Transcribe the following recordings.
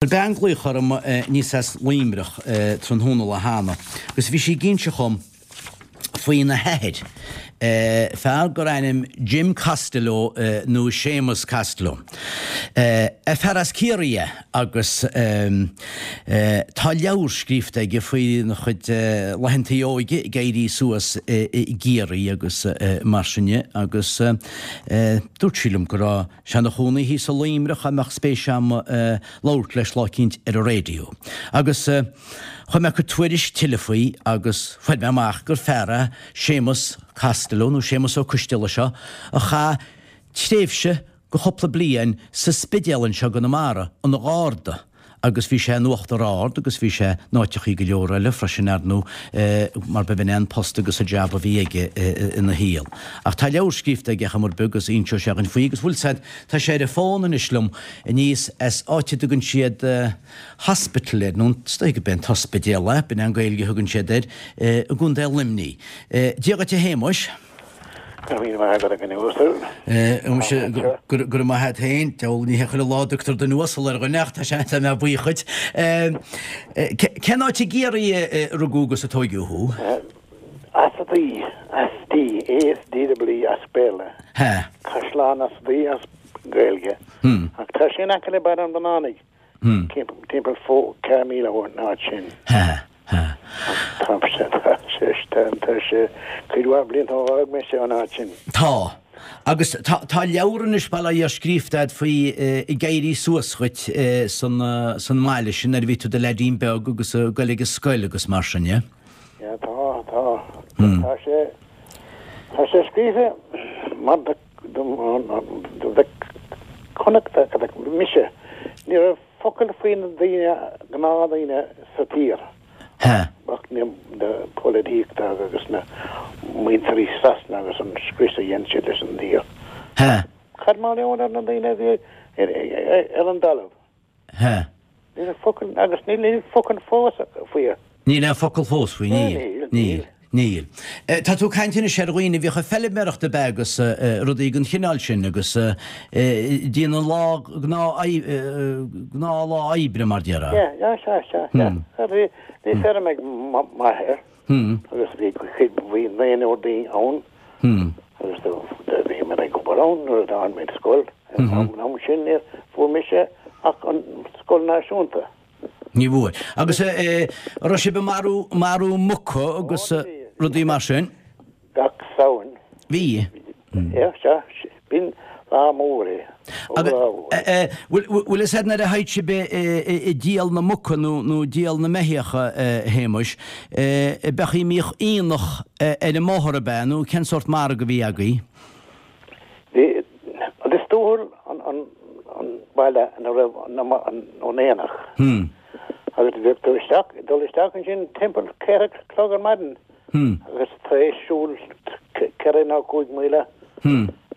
Chuir bean glaoch orm aníos as Luimneach tráthnóna lá cheana agus bhí sí ag inse dhom faoina hathair, fear gur ainm Jim Costello nó Séamus Costello. Fear as Ciarraí é agus tá leabhar scríofa aige faoina chuid laethantaí óige ag éirí suas i gCiarraí agus mar sin de agus dúirt sí liom go raibh Sé ina chónaí thíos i Luimneach dá mbeadh spéis a'm labhairt leis lá eicínt ar an raidió. Agus chuaigh mé ag cur tuairisc tuilleadh faoi agus fuair mé amach gur fear é Séamus Costello, nó Séamus Ó Coisteala seo, a chaith tréimhse de chúpla bliain sa Spidéal anseo i gConamara, ina gharda. agus bhí sé in Uachtar Ard agus bhí sé in áiteachaí go leor eile freisin ar ndóigh mar b'in é an post agus an jab a bhí aige ina shaol. Ach tá leabhar scríofa aige chomh maith agus inseoidh sé dhuinn faoi agus bhfuil 's a'd tá sé ar an bhfón anois liom aníos as áit a dtugann siad hospital air nó is dóigh gurb é an t-ospidéal é, b'in é an Gaeilge a thugann siad air i gContae Luimnigh. Dia dhuit a Shéamuis. Go raibh míle maith agat a dhuine uasail. Muise, go raibh maith agat féin. Deabhal, ní hé chuile lá a dtugtar duine uasal ar dhuine ach tá sé, tá mé buíoch dhuit. Cén áit i gCiarraí a rugadh agus a tóigeadh thú? Easdaoi, Asdee, A-S-D-E-E as Béarla. Hea. Caisleán Easdaoi as Gaeilge. Ach tá sé in aice le Baile an Bhraonánaigh. Timpeall 4 míle ón áit sin. Hea. Hea. Tá sé, tá sé, tá sé cuid mhaith blianta ó dh'fhág mise an áit sin. Tá. Agus tá, tá leabhar anois, bail ó Dhia air, scríofa a'd faoi ag éirí suas dhuit san, san mbaile sin nuair a bhí tú i do leaidín beag agus ag goil ag an scoil agus mar sin, yeah? Yeah, tá, tá. Tá sé, tá sé scríofa mar do, do, do bheith Connachtach a bheith mise. Ní raibh focal faoi na daoine, gnáthdhaoine sa tír. Hea. Ach na polaitíochta agus na muintirí Sasana agus an scrios a dhein siad leis an dtír. Hea. Cad mar gheall ar na daoine a bhí ar an dtalamh? Hea. Ní raibh focal, agus níl aon focal fós faoi. Níl aon focal fós faoi, níl. Níl. Níl. Tá tú ag caint anois ar dhaoine a bhíodh ag feilméaracht ab ea agus rudaí den chineál sin agus déanamh lá gnáth lá oibre mar déarfá. Yeah, yeah, sea, sea, sea. Bhí, bhí feirm ag m'athair agus bhí cuid, bhí naonúr daoine ann agus do, do bhíomar ag obair ann nuair a d'fhág muid scoil. An am sin níor fuair mise ach an scoil náisiúnta. Ní bhfuair. Agus an raibh sibh ag marú, marú muca agus rudaí mar sin? Gach Samhain. Bhí. Yeah, sea. B'in lá mór é. Agus bhfuil fhios a'd nuair a théid sibh ag díol na muca nó nó díol na mbeithíoch a Shéamuis, b'ea a mbíodh aonach ar an mbóthar ab ea nó cén sórt margadh a bhí agaibh? Bhí Lios Tuathail an baile ina raibh an aonach agus bheadh tú isteach, dul isteach ansin timpeall 4 chlog ar maidin agus tar éis siúl 4 nó 5 míle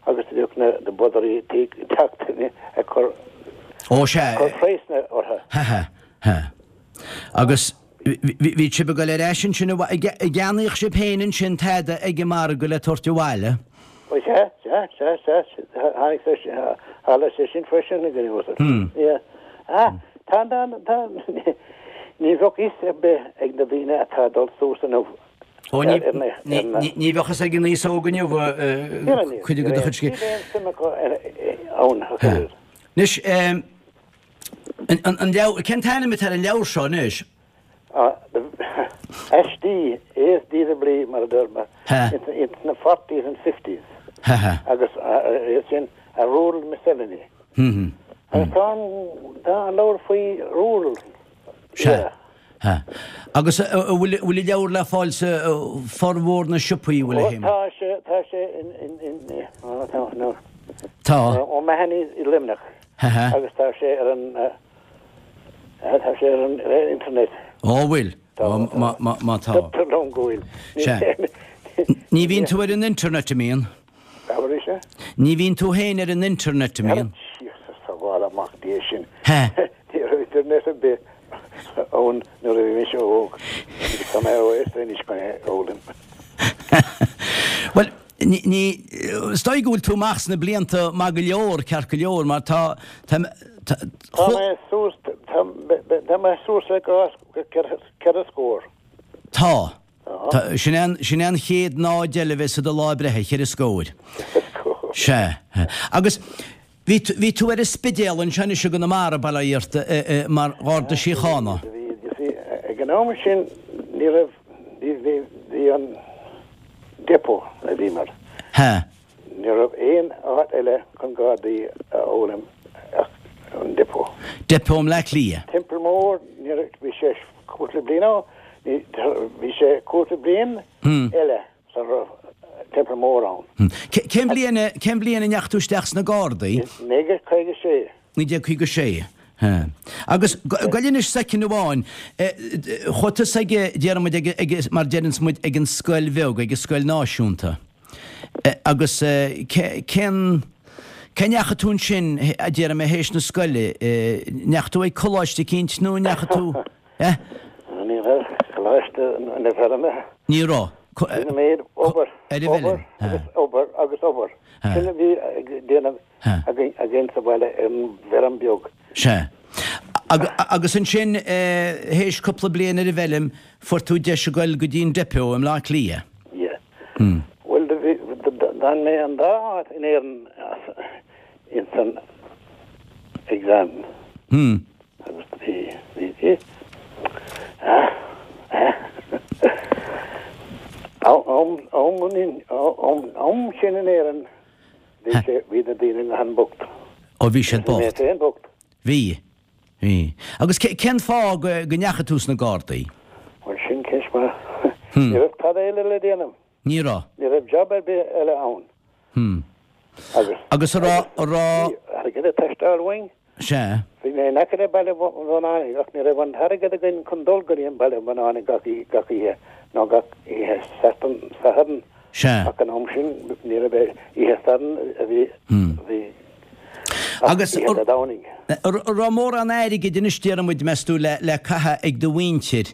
agus bheadh na bodairí ag teacht ag cur Ó sea. cur praghsanna orthu. Ha ha ha. Agus bhí sibh ag dul ar ais ansin, an gceannaíodh sibh féin ansin tada ag an margadh le tabhairt abhaile? Ó sea, sea, sea, sea, tháinig sé sin, tharla sé sin freisin, a dhuine uasail. Yeah. Ah, tá, tá, tá, ní bheadh fhios ar bith ag na daoine atá ag dul suas inniu Ó, ní, ní, ní bheadh fhios ag an aos óg inniu cuid de do chuid scéal. Níl aon suim acu ann, a thuilleadh. Anois, An leabhar, cén t-ainm atá ar an leabhar seo anois? Aistí, ASDW mar a deir mé, in the forties and fifties agus é sin a rural miscellany. Agus tá an leabhar faoi rural. Sea. Agus an bhfuil an leabhar le fáil sa formhór na siopaí, bhfuil a Shéamais? Tá sé, tá sé in, in, in, tá. Tá. O'Mahony's i Luimneach. Agus tá sé ar an, tá sé ar an internet. Ó bhfuil? Má, má, má tá. Deirtear liom go bhfuil. Sea. Ní bhíonn tú ar an internet, an mbíonn? Abair é. Ní bhíonn tú féin ar an internet, an mbíonn? Jesus, sábháil amach Dia sinn. Ní raibh internet ar bith ann nuair a bhí mise óg. Tá mé róaosta anois chun é a fhoghlaim. Bhuel, ní, ní, is dóigh go bhfuil tú amach sna blianta maith go leor, ceart go leor, mar tá, tá, Tá mé suas, tá mé suas le ceithre scór. Tá. Sin é an, sin é an chéad náid eile a bheas ar do lá breithe, cheithre scóir. Sea. Agus bhí, bhí tú ar an Spidéal anseo anois i gConamara, bail ó Dhia ort, mar Gharda Síochána. Bhí, you see, ag an am sin ní raibh, bhí, bhí, bhí an depot a bhí mar. Sea. Ní raibh aon áit eile chun Gardaí a fhoghlaim ach an depot. Depot i mBleá Cliath. Templemore, ní raibh, bhí sé cúpla bliain ó, ní, bhí sé cúpla bliain eile sula raibh Templemore ann. Cén bhliain, cén bhliain a ndeachaigh tú isteach sna Gardaí? 1956. 1956. Agus, gabh anois soicind amháin, chuaigh tusa ag, déarfaidh muid, ag, ag, mar deireanns muid, ag an scoil bheag, ag an scoil náisiúnta. Agus cén, cá ndeachaigh tú ansin, a déarfaidh mé, théis na scoile? Ndeachaigh tú ag coláiste eicínt nó ndeachaigh tú, eh? Ní raibh coláiste na feirme. Ní raibh. Sin an méid, obair, obair agus obair agus obair. Sin a bhí ag déanamh againn sa bhaile ar an bhfeirm beag. Sea. Agus ansin, théis cúpla bliain ar an bhfeilm, fuair tú deis a ghoil go dtí an depot i mBleá Cliath. Yeah. Bhuel, do bhí, d'fhan mé an dá áit in Éirinn ins an exam. Agus do bhí, bhí, bhí, ah, ah, am, am, am, am sin in Éirinn, bhí sé, bhí na daoine an-bhocht. Ó, bhí siad bocht. Bhí mé féin bocht. Bhí. Bhí. Agus cén fáth go ndeachaigh tú sna Gardaí? Bhuel, sin ceist mhaith. Ní raibh tada eile le déanamh. Ní raibh. Ní raibh job ar bith eile ann. Hmm. Agus. Agus a raibh, a raibh. Bhí airgead ag teastáil uainn. Sea. Bhí mé in aice le Baile Bhunáin ach ní raibh an t-airgead againn chun dul go dtí an Baile Bhunáin gach oíche nó gach oíche Sathairn. Sea. Ach an am sin ní raibh oíche Sathairn a bhí, bhí Agus an raibh mórán airgid anois, déarfaidh muid, meas tú, le caitheamh ag do mhuintir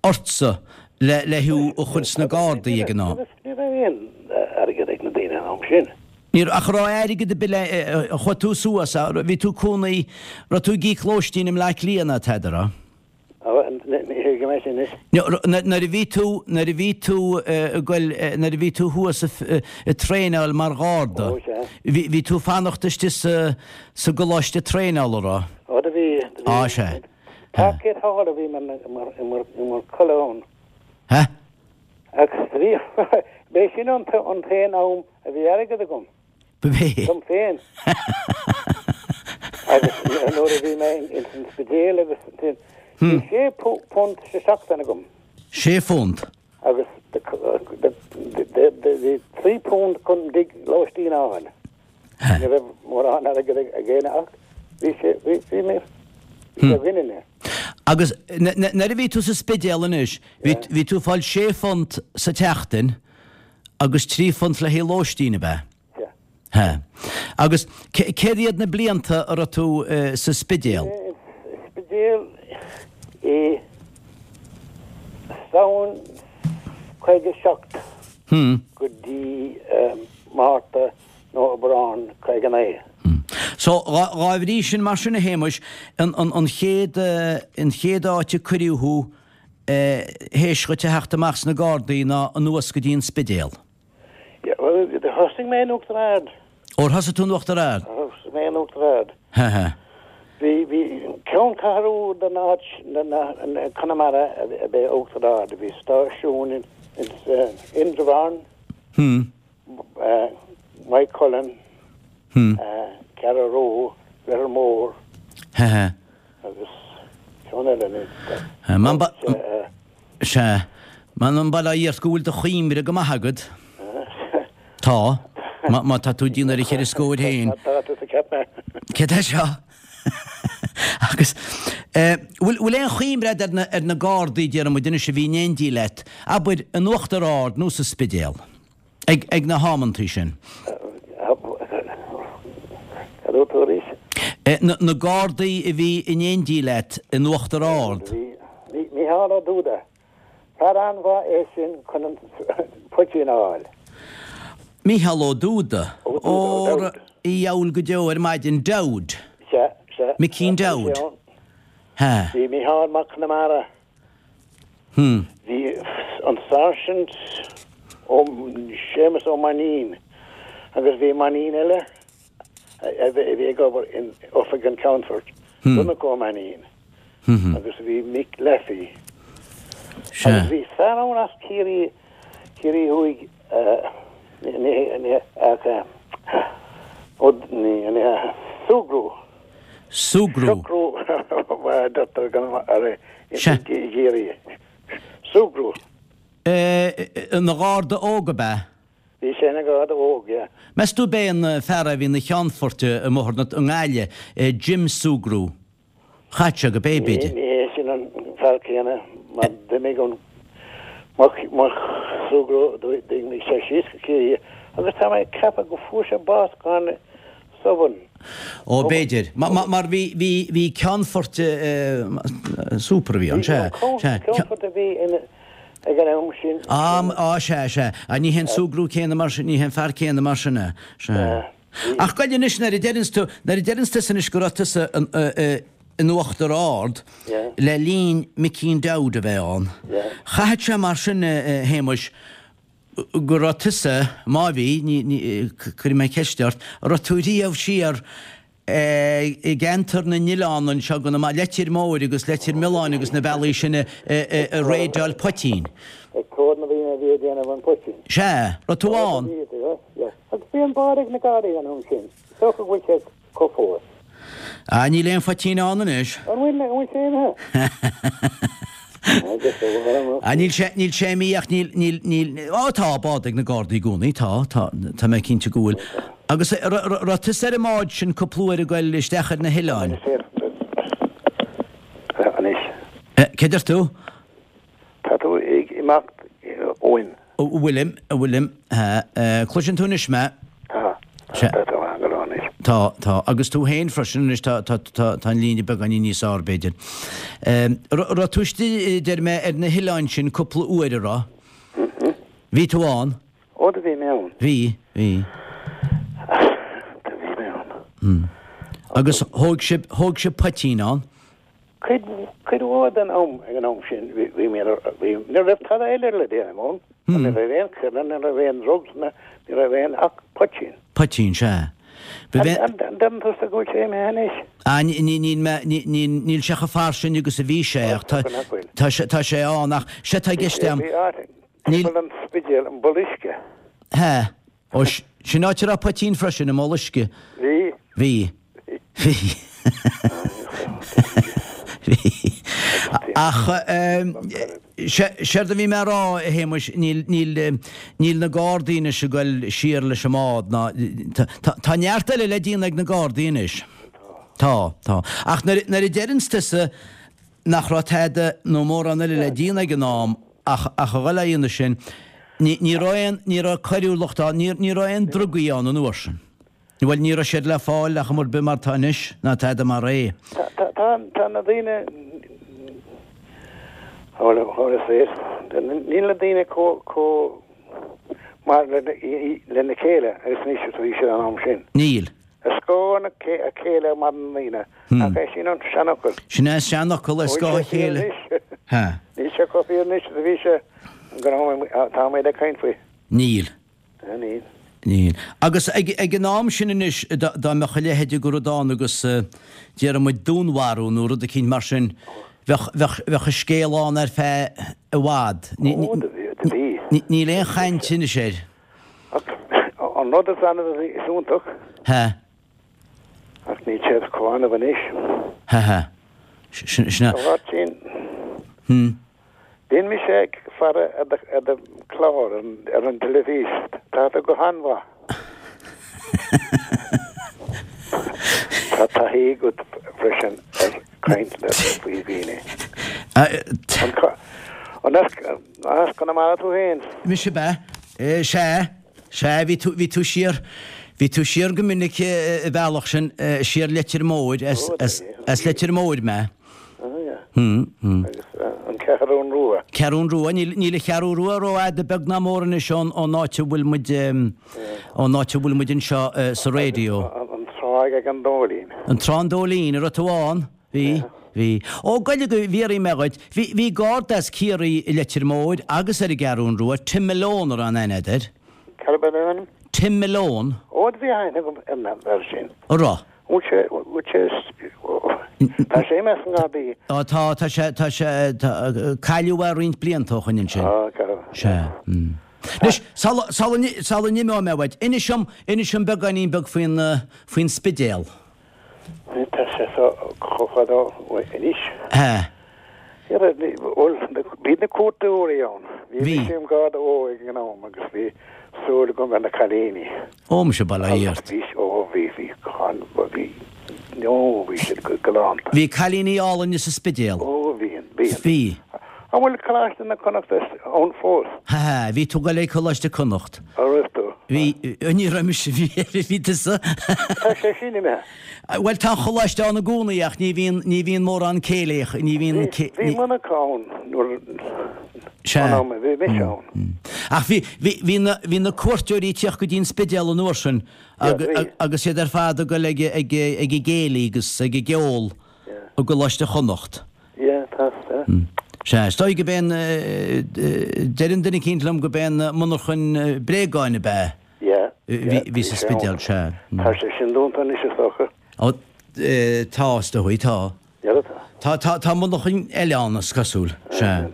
ortsa le le thú a chur sna Gardaí ag an am? Ní raibh aon airgead ag na daoine an am sin. Ní raibh, ach raibh airgead ar bith le, chuaigh tú suas, bhí tú cónaí, raibh tú ag íoc lóistín i mBleá Cliath ná tada, raibh? Nuair a bhí tú, nuair a bhí tú ag goil, nuair a bhí tú thuas ag traenáil mar gharda, bhí, bhí tú ag fanacht istigh sa, sa gcoláiste traenála, raibh? Ó do bhí, do bhí. Á, sea. Parkgate Hall a bhí mar, mar, mar, mar codladh ann. Ha? Agus bhí, b'é sin an t-aon am a bhí airgead agam. B'é. Dom féin. Agus nuair a bhí mé ins an Spidéal agus ansin, bhí sé phunt sa seachtain agam. Sé phunt? Agus bhí 3 punt chun tigh lóistín a fháil. Ní raibh mórán airgead ag éinne ach bhí sé, bhí, bhí mé, bhí sé againn inné. Agus nuair a bhí tú sa Spidéal anois, bhí tú ag fáil sé phunt sa tseachtain Agus 3 phunt le haghaidh lóistín, ab ea? Sea. Sea. Agus céard iad na blianta a raibh tú sa Spidéal? Bhí mé sa Spidéal i Samhain 57 go dtí Márta nó Aibreán 59. So, dhá bhrí sin, mar sin a Shéamuis, an chéad, an chéad áit a cuireadh thú théis dhuit a theacht amach sna Gardaí ná anuas go dtí an Spidéal. Yeah, bhuel, thosaigh mé in Uachtar Ard. Ó, thosaigh tú in Uachtar Ard? Thosaigh mé in Uachtar Ard. Ha ha. Bhí, bhí ceanncheathrú den áit, den, Conamara ab ea Uachtar Ard. Bhí stáisiún in, in, Indreabhán. Hmm. Maigh Cuilinn. Hmm. Carraroe, Leitir Móir. Ha ha. Agus ceann eile anois. Sea. M'anam bail ó Dhia ort go bhfuil do chuimhne go maith agat. Tá. Má tá tú ag déanamh ar an cheithre scóir féin. Tá tusa ceap mé. Céard é seo? Agus bhfuil aon chuimhne agat ar na Gardaí, déarfaidh muid anois, a bhí in éindí leat, abair, in Uachtar Ard nó sa Spidéal? Ag na hamantaí sin. Cad dúirt tú arís? Na Gardaí a bhí in éindí leat in Uachtar Ard. Bhí Micheál Ó Dúda. Fear an-mhaith é sin chun an poitín a fháil. Micheál Ó Dúda. Óra a dheabhail go deo ar maidin. Dowd. Sea, Sea. Mickeen Bhí sé Dowd. ann. Ha. Bhí Micheál Mac Conamara. Hmm. Bhí an Sáirsint Ó, Séamus Ó Mainnín agus bhí Mainnín eile a bhí ag obair in Oifig an Cheannfoirt, Donncha Ó Mainnín, agus bhí Mick Laffey. Agus bhí fear ann as Ciarraí, Ciarraí Thuaidh, ní, ní, ach, ó, ní, ní, Sugrue. Sugrue. Socrú mar a deirtear i gCiarraí. Sugrue. Ina gharda óg ab ea? Bhí sé ina gharda óg, yeah. Meas tú ab é an fear a bhí ina cheannfort i mBóthar na nGaillimh, Jim Sugrue? Chaithfeadh sé gurb é, b'fhéidir. Ní hé sin an fear céanna mar d'imigh an Mac Sugrue, d'imigh sé síos go Ciarraí agus tá mé ag ceapadh go fuair sé bás gan soban. Ó, b'fhéidir. Mar bhí, bhí, bhí ceannfort super a bhí ann, sea, sea. Ceannfort a bhí in, ag an am sin. Á, á, sea, sea. Á, ní hé an Sugrue céanna mar sin, ní hé an fear céanna mar sin é. Sea. Ach goil anois, nuair a deireanns tú, nuair a deireanns tusa anois go raibh tusa in Uachtar Ard le linn Mickeen Dowd a bheith ann, chaithfeadh sé mar sin, a Shéamuis, go raibh tusa, má bhí, ní, ní, cuirfidh mé ceist ort, an raibh tú riamh siar i gceantar na n-oileán anseo go na, Leitir Móir agus Leitir Mealláin agus na bealaí sin ag raideáil poitín? Ag tóir na ndaoine a bhí ag déanamh an poitín. Sea, raibh tú ann? Agus bhí an bád ag na Gardaí an am sin. Is dócha go bhfuil sé acu fós. Ah, níl aon phoitín ann anois. An bhfuil, an bhfuil sé imithe? Ah, níl sé, níl sé imithe ach níl, níl, níl, á tá bád ag na Gardaí i gcónaí, tá, tá, tá mé cinnte go bhfuil. Agus raibh tusa ar an mbád sin cúpla uair ag goil isteach ar na hoileáin? Anois. Cé deir tú? Tá tú ag imeacht uainn. An bhfuilim, an bhfuilim, cloiseann tú anois mé? Tá, tá, tá go leor anois. Tá, tá, agus tú féin freisin anois, tá, tá, tá, tá an líne beagáinín níos fearr, b'fhéidir. Raibh tú istigh, deir mé, ar na hoileáin sin cúpla uair, an raibh? Bhí tú ann? Ó, do bhí mé ann. Bhí, bhí. Do bhí mé ann. Agus thóg sibh, thóg sibh poitín ann? Cuid, cuid mhór den am ag an am sin bhí, bhí mé, bhí, ní raibh tada eile le déanamh ann, ní raibh aon choire, ní raibh aon drugs, ní raibh aon ach poitín. Poitín, sea. Ba bhe. An, an ndeireann tusa go bhfuil sé imithe anois? Ah, ní, ní, níl mé, ní, ní, níl sé chomh fairsing agus a bhí sé ach tá, tá sé, tá sé ann ach, sea tá i gceist Bhí, bhí áit, timpeall an Spidéil, an Bol Uisce. Hea. Ó, sin áit a raibh poitín freisin, i mBoll Uisce. Bhí. Bhí. Bhí. Bhí. Ach séard a bhí mé a rá, a Shéamuis, níl, níl, níl na Gardaí anois ag goil siar leis an mbád ná, tá, tá neart eile le déanamh ag na Gardaí anois. Tá, tá. Ach nuair, nuair a deireanns tusa, nach raibh tada nó mórán eile le déanamh ag an am ach ach a dhul á dhéanamh sin. Ní ní raibh aon ní raibh coiriúlacht ann, ní ní raibh aon drugaí ann an uair sin. Bhuel, ní raibh siad le fáil ach ar bith mar tá anois, ná tada mar é. Tá tá tá tá na daoine how how to say it níl na daoine chomh chomh maith le lena chéile agus anois is a bhí siad an am sin. Níl. Ar scáth a chéile a mhaireann na daoine, nach é sin an seanfhocal? Sin é an seanfhocal, ar scáth a chéile. Níl sé chomh fíor anois is a bhí sé an am atáimid ag caint faoi. Níl. Níl. Níl. Agus ag an am sin anois, dá mbeadh a leithéid de rud ann agus déarfaidh muid dúnmharú nó rud eicínt mar sin, bheadh, bheadh, bheadh an scéal ann ar feadh i bhfad. Ó, do bhí. Níl aon chaint anois air. Ach an rud is annamh is iontach. Hea. Ach níl sé chomh annamh anois. Hea hea. Sin é. A Mháirtín. Hmm. Bíonn mise ag faire ar do, ar do chlár ar an teilifís. Tá tú go han-mhaith. Tá taithí agat freisin ar caint le faoi dhaoine. An as, As Conamara tú féin? Mise ab ea? Sea, sea, bhí tú, bhí tú siar, bhí tú siar go minic an bealach sin, siar Leitir Móir, as, as, as Leitir Móir mé. Ah, yeah. Hmm, hmm. Agus an Cheathrún Rua. Ceathrún Rua, níl, níl an Cheathrú Rua rófhada beag ná mór anois ón, ón áit a bhfuil muid, ón áit a bhfuil muid anseo sa raidió. An, an, an trá. Tráigh ag an Dóilín. An Trá an Dóilín, an raibh tú ann? Bhí, bhí. Ó, goile go bhfiafraí mé dhuit, bhí, bhí garda as Ciarraí i Leitir Móir agus ar an gCeathrún Rua, Tim Malone a raibh an aithne agat air. Cad ab ea a ainm? Tim Malone. Ó, do bhí aithne agam ar an bhfear sin. An raibh? Bhfuil sé, bhfuil sé, tá sé imithe as an nGardaí. Ó, tá, tá sé, tá sé, tá, cailleadh é roinnt blianta ó shoin ansin. Ó, cá raibh? Sea. Anois, sula, sula, sula n-imeoidh mé uait, inis dom, inis dom beagáinín beag faoin, faoin Spidéal. Tá sé so chomh fada anois. Sea. Bhuel, bhí na cuairteoirí ann. Bhí. Bhí mise im Gharda óg ag an am agus bhí súil agam ar na cailíní. Ó, muise, bail ó Dhia ort. Bhí, ó, bhí, bhí, bhí, ó, bhí siad go galánta. Bhí cailíní álainne sa Spidéal. Ó, bhíonn, bíonn. Bhí. An bhfuil Coláiste na Connacht ann fós? Ha ha, bhí tú ag dul ag Coláiste Connacht. An raibh tú? Bhí, ní raibh mise, bhí, bhí tusa. Tá sé sin imithe. Bhuel, tá an choláiste ann i gcónaí ach ní bhíonn, ní bhíonn mórán céilí, ní bhíonn, Bhí, bhí monarcha ann nuair, Sea. an am a bhí mise ann. Ach bhí, bhí, bhí na, bhí na cuairteoirí ag tíocht go dtí an Spidéal an uair sin agus iad ar fad ag dul ag, ag, ag an gcéilí agus ag an gceol i gColáiste Chonnacht. Yeah, tá, tá. Sea, is dóigh go b'é an, deireann duine eicínt liom go b'é an monarchain bréagáin ab ea Yeah, yeah, bhí sa Spidéal, sea. Tá sé sin dúnta anois is dócha. Ó, tá, is dóigh, tá. Yeah, tá. Tá, tá, tá monarchain eile ann, is cosúil, sea.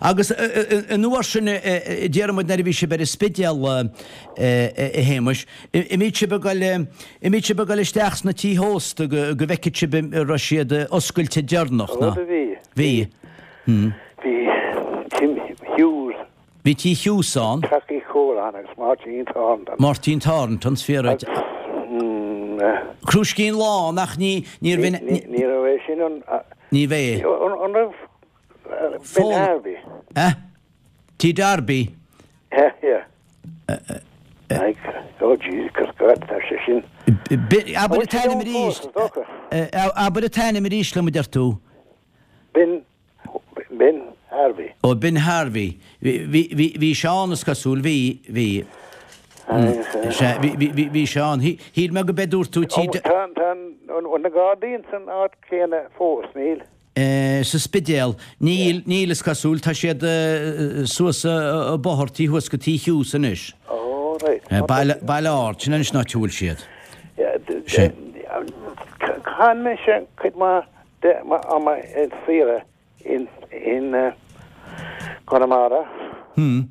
Agus an uair sin, déarfaidh muid nuair a bhí sibh ar an Spidéal, a Shéamais, An mbíodh sibh ag dul, an mbíodh sibh ag dul isteach sna tithe ósta go, go bhfeicfeadh sibh an raibh siad oscailte deireanach, ná? Ó, bhí. Bhí. Hmm. Bhí Tim Hughes. Bhí Tí Hughes ann. Teach Uí Chualáin agus Máirtín Thornton. Máirtín Thornton, is fíor dhuit. Agus, hmm, eh. Crúiscín Lán ach ní, níorbh in. Ní, ní raibh é sin an. Ní bhé. An, an raibh Ben Harvey? Eh? Tí Darby? Yeah, yeah. Like, oh Jesus God, tá sé sin. Abair an t-ainm arís. Abair an t-ainm arís liom a deir tú. Ben, Ben Harvey. Ó, Ben Harvey. Bhí, bhí sé ann is cosúil, bhí, bhí. Sea, bhí, bhí, bhí sé ann. Shíl mé go b'é dúirt tú tí. Tá, tá na Gardaí ins an áit chéanna fós, níl? Sa Spidéal. Níl, níl, is cosúil. Tá siad suas an bóthar taobh thuas go Tí Hughes anois. Oh, right. Baile, Baile Ard, sin anois an áit a bhfuil siad. Sea. Chaith mise cuid mhaith de m'am ar saoire in, in Conamara. Hmm.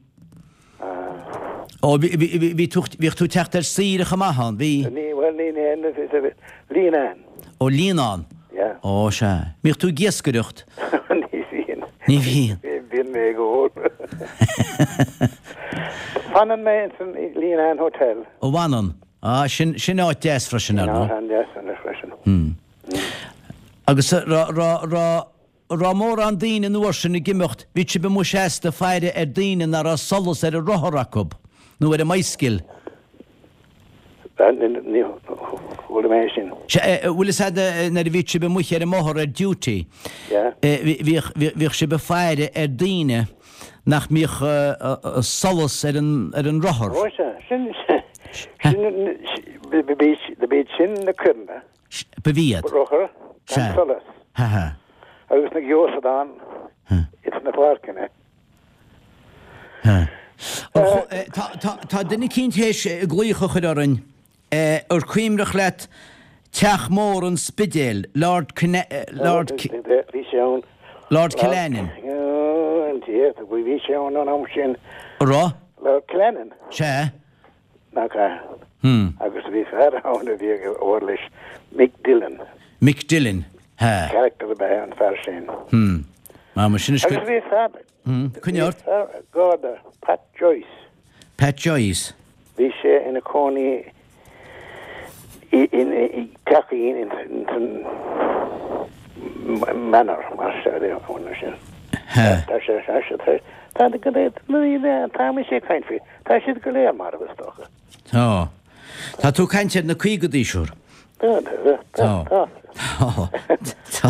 Ó, bhí, bhí, bhí tú, bhíodh tú ag teacht ar saoire chomh maith ann, bhí? Ní, bhuel, ní, ní, Líonán. Ó, Líonán. Yeah. Ó, sea. Mbíodh tú ag iascaireacht? Ní bhíonn. Ní bhíonn. Bíonn mé ag ól. Fanann mé ins an Líonán Hotel. Ó, bhfanann. Á, sin, sin áit deas freisin, ar ndóigh. Sin áit an-deas anois freisin. Hmm. Agus raibh, raibh, raibh, raibh mórán daoine an uair sin ag imeacht, bhíodh sibh amuigh seasta ag faire ar daoine nach raibh solas ar a rothar acu, nó ar a mbicycle. Ní chuala mé sin. Sea, bhfuil fhios a'd nuair a bhíodh sibh amuigh ar an mbóthar ar duty, bhíodh, bhíodh sibh ag faire ar daoine nach mbíodh solas ar an, ar an rothar. Ó sea, sin, sin, b'iad sin na coireanna. Ba iad. Rothar gan solas. Agus na geosadán ins na páirceanna. Tá duine eicínt théis glaoch a chur orainn. Ar cuimhneach leat teach mór an Spidéil, Lord Lord Bhí sé ann. Lord Killanin. Bhí sé ann an am sin. Raibh? Lord Killanin. Sea. Nach ea? Agus bhí fear ann a bhí ag obair leis, Mick Dillon. Mick Dillon, hea. Character ab ea an fear sin. Hmm. Ah, mar sin is Agus bhí fear, Hmm, coinnigh ort. bhí fear Garda, Pat Joyce. Pat Joyce. Bhí sé ina cónaí i dteachín in san Manor, mar sin. Hea. Tá sé, tá sé, tá, tá, tá mise ag caint faoi. Tá siad go léir marbh, is dócha. Tá. Tá tú ag caint ar na caogadaí, siúr. Tá, tá, tá. Tá. Tá.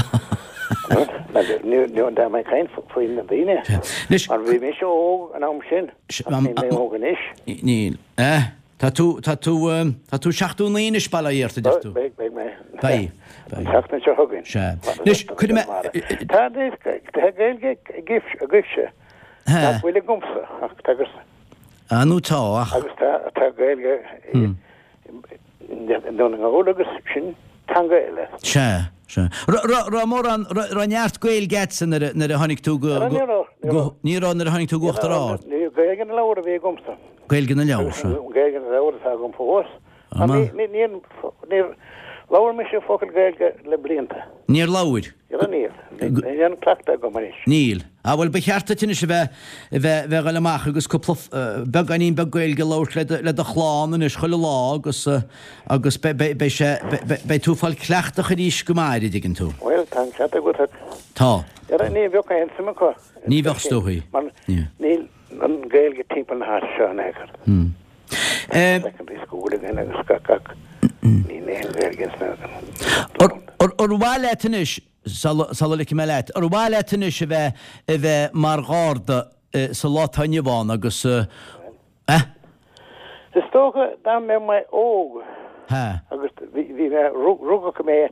Ní tá mé ag caint faoi na daoine. Anois. Mar bhí mise óg an am sin. Ach níl mé óg anois. Níl. Eh? Tá tú, tá tú, tá tú 79 anois, bail ó Dhia ort, a deir tú. Beidh, beidh mé. Beidh, beidh. An tseachtain seo chugainn. Sea. Anois, cuirfidh mé. Tá, tá Gaeilge agaibhse nach bhfuil agamsa, ach tá agus. Ah, nó tá, ach. Agus tá, tá Gaeilge i nDún na nGall agus sin teanga eile. Sea, sea. Raibh mórán, raibh neart Gaeilge agatsa nuair a, nuair a tháinig tú go, go, go, ní raibh nuair a tháinig tú go Uachtar Ard. Ní raibh Gaeilge na leabhar a bhí agamsa. Gaeilge na leabhar, sea. Gaeilge na leabhar atá agam fós. Níor labhair mise focal Gaeilge le blianta. Níor labhair? Níor, níl. Níl aon cleachtadh agam anois. Níl. Ah, bhuel, ba cheart duit anois a bheith, a bheith, bheith ag dul amach agus cúpla, beagáinín beag Gaeilge a labhairt le do, le do chlann anois chuile lá agus, agus beidh, beidh, beidh sé, beidh, beidh tú ag fáil cleachtach arís go maith, an dtuigeann tú. Bhuel, tá an ceart agat ach. Tá. Ní bheadh aon suim acu. Ní bheadh, is dóichí. Mar níl an Ghaeilge timpeall na háite seo in aon chor. Secondary school againn agus gach gach níl aon Ghaeilge ins na. Ar mhaith leat anois, sula ligfidh mé leat, ar mhaith leat anois a bheith a bheith mar gharda sa lá atá inniu ann agus eh? Is dócha dá mbeadh mé óg agus bhí mé, rugadh mé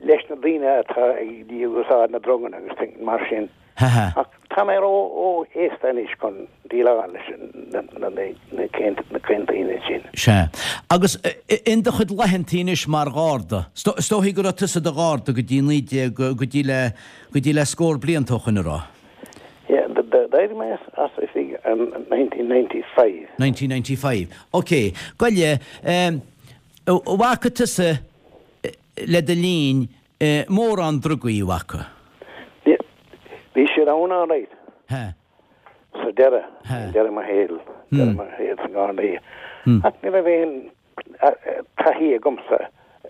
leis na daoine atá ag úsáid na druganna agus mar sin. Ach tá mé ró-aosta anois chun déileáil leis na daoine sin. Sea. Agus in do chuid laethantaí anois mar gharda, is dóichí go raibh tusa i do gharda go dtí 19, go dtí le, go dtí le scór blianta ó shoin, an raibh? Yeah, d'éirigh mé as oifig in 1995. 1995. Ok. Gabh i leith, an bhfaca tusa le do linn mórán drugaí, an bhfaca? Bhí siad ann alright. He. Sa deireadh, deireadh mo shaoil, deireadh mo shaoil sa nGardaí. Ach ní raibh aon taithí agamsa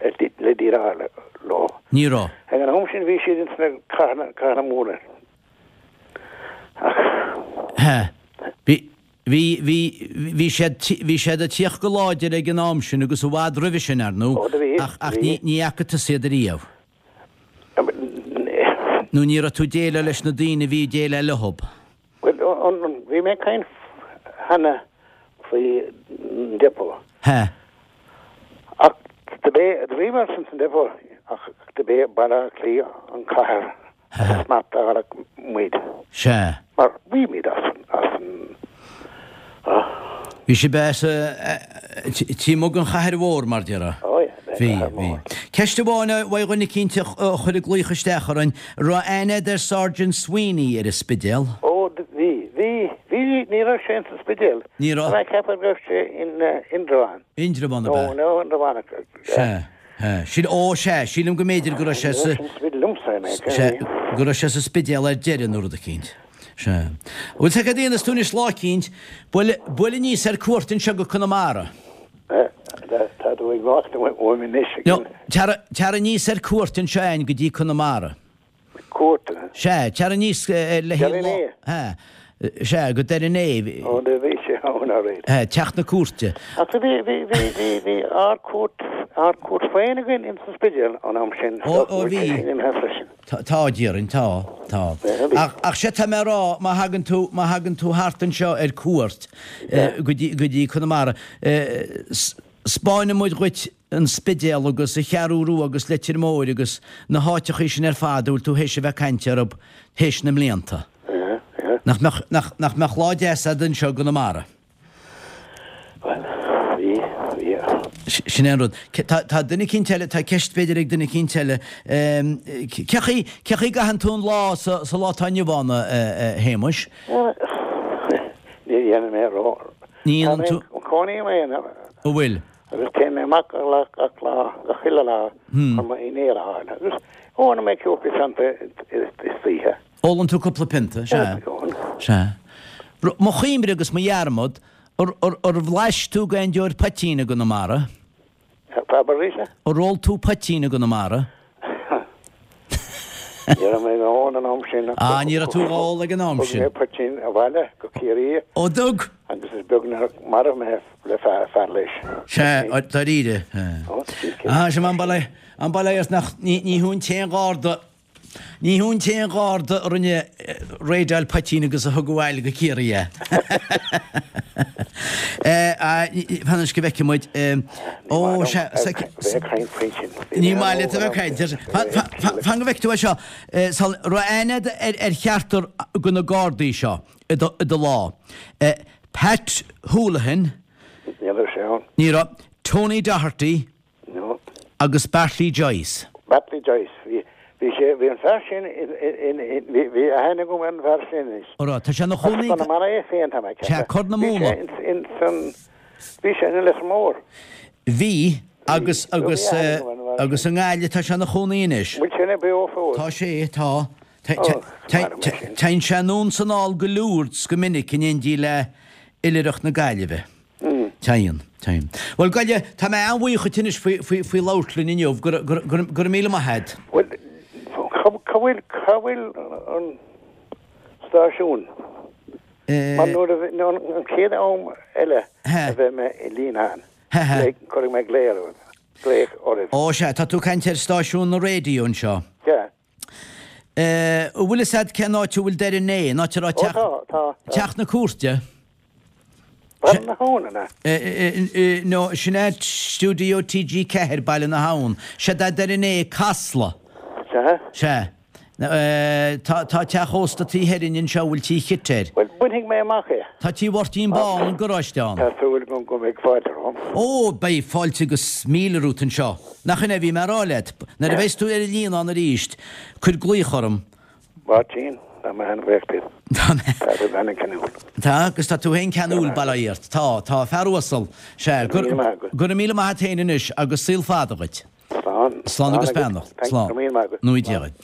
le déileáil leo. Ní raibh. Ag an am sin bhí siad ins na cathracha móra. Ach. He. Bhí, bhí, bhí, bhí siad, bhí siad ag tíocht go láidir ag an am sin agus i bhfad roimhe sin, ar ndú, Ó, do bhí, ach, ach bhí. ní, ní fhaca tusa iad ariamh. Nó ní raibh tú ag déileáil leis na daoine a bhí ag déileáil leothub. Bhuel, bhí mé ag caint cheana faoi an depot. He. Ach do bhíomar san depot ach do b'é Baile Átha Cliath an chathair a smachtáladh muid. Sea. Mar bhí muid as an. Bhí sibh as taobh amuigh den chathair mhór, mar déarfá. Ó yeah, Bhí, bhí. Ceist amháin uaidh dhuine eicínt a chuir ag glaoch isteach orainn, raibh aithne agat ar Sergeant Sweeney ar an Spidéal? Ó, bhí, bhí, bhí, ní raibh sé ins an Spidéal. Ní raibh? Tá mé ag ceapadh go raibh sé in Indreabhán. Indreabhán ab ea? Nó, nó Indreabhán. Sea, sea. Síl, ó, sea, sílim go mb'fhéidir go raibh sé sa, sea, go raibh sé sa Spidéal ar deireadh nó rud eicínt. Sea. Bhuel, tá cad a dhéanfas tú anois lá eicínt, buail, buail aníos ar cuairt anseo go Conamara. Tá tú ag imeacht uaim anois. No, tar, tar aníos ar cuairt anseo againn go dtí Conamara. Cuairt? Sea, tar aníos le haghaidh lá. Sea, sea, go Doire Naomh. Ó, do bhí sé ann already. Sea, teach na cúirte. Ach bhí, bhí, bhí, bhí, bhí ár gcúirt, ár gcúirt féin againn ins an Spidéal an am sin. Ó, ó bhí. Tá, déarfainn, tá, tá. Ach, ach sea tá mé a rá, má thagann tú, má thagann tú thart anseo ar cuairt go dtí, go dtí Conamara, 'spáinfidh muid dhuit an Spidéal agus an Cheathrú Rua agus Leitir Móir agus na háiteachaí sin ar fad a bhfuil tú théis a bheith ag caint orthu théis na mblianta. Nach mbeadh, nach, nach mbeadh lá deas a'd anseo i gConamara? Bhuel, bhí, bhí. Sin é an rud. Tá, tá duine eicínt eile, tá ceist b'fhéidir ag duine eicínt eile. Cé chaoi, cé chaoi a gcaitheann tú an lá sa, sa lá atá inniu ann, a, a Shéamuis? Ní dhéanann mé ró. Ní dhéanann tú? Cónaí i m'aonar. An bhfuil? Agus téann mé amach gach lá, gach lá, gach uile lá chun m'dhinnéar a fháil. Agus ólann mé cúpla pionta istoíche. Ólann tú cúpla pionta, sea. Sea. Mo chuimhne agus mo dhearmad, ar bhlais tú d'aon deoir poitín i gConamara? Abair arís é? Ar ól tú poitín i gConamara? Ní raibh mé á ól an am sin. Ah, ní raibh tú á ól ag an am sin. Thug mé poitín abhaile go Ciarraí. Ó, dtug? Agus is beag nár mharaigh mé le fear leis. Sea, dáiríre. Ah, sin an bail ó Dhia ort nach, ní thú an t-aon gharda Ní thú an t-aon gharda a rinne raideáil poitín agus a thug abhaile go Ciarraí é. Fan anois go bhfeicfidh muid. Ó, sea. Bheith ag caint faoi sin. Ní maith leat a bheith ag caint air. Fan go bhfeicfidh tú é seo. An raibh aithne agat ar cheachtar de na Gardaí seo i do lá? Pat Houlihan. Ní raibh sé ann. Ní raibh. Tony Doherty. No. Agus Bartley Joyce. Bartley Joyce. Bhí, bhí sé, bhí an fear sin in, in, in, bhí, bhí aithne agam ar an bhfear sin anois. An raibh? Tá sé ina chónaí. As Conamara é féin, tá mé ag ceapadh. Sea, Corr na Móna. Bhí sé in, in san, bhí sé in Leitir Móir. Bhí, agus, agus, agus i nGaillimh tá sé ina chónaí anois. Bhfuil sé beo fós? Tá sé, tá. Téann sé anonn is anall go Lourdes go minic in éindí le Oilithreacht na Gaillimhe. Téann, téann. Bhuel, Goille, tá mé an-bhuíoch dhuit anois faoi, faoi, faoi labhairt linn inniu. Go, go, go, go raibh míle maith agat. Bhuel, cá, cá bhfuil, cá bhfuil an stáisiún? Mar nuair a bhí, an, an chéad am eile a bheidh mé i Líonán, cuirfidh mé glao oraibh, glaoch oraibh. Ó, sea, tá tú ag caint ar stáisiún na raidió anseo. Sea. An bhfuil fhios a'd cén áit a bhfuil Doire an Né, an áit a raibh teach, Ó tá, tá, tá. teach na cúirte? Baile na hAbhann, an ea? No, sin é Studio TG4, Baile na hAbhann. Séard é Doire an Né, Casla. Sea? Sea. Tá, tá teach ósta taobh thoir dhínn anseo a bhfuil Tí Chit air. Bhuel, bainfidh mé amach é. Tá Tí Mháirtín Bán, an garáiste ann. Tá súil agam go mbeidh fáilte romham. Ó, beidh fáilte agus míle romhat anseo. Nach in é a bhí mé a rá leat? Nuair a bheas tú ar an Líonán arís, cuir glaoch orm. Máirtín, tá mé an-bhuíoch díot. Tá mé. Tá tú an-cheanúil. Tá, agus tá tú féin ceanúil, bail ó Dhia ort. Tá, tá, a fear uasal. Sea, go raibh míle maith a't féin anois agus saol fada dhuit. Slán. Slán agus beannacht. Slán. Go raibh míle maith agat. Nó Dia dhuit.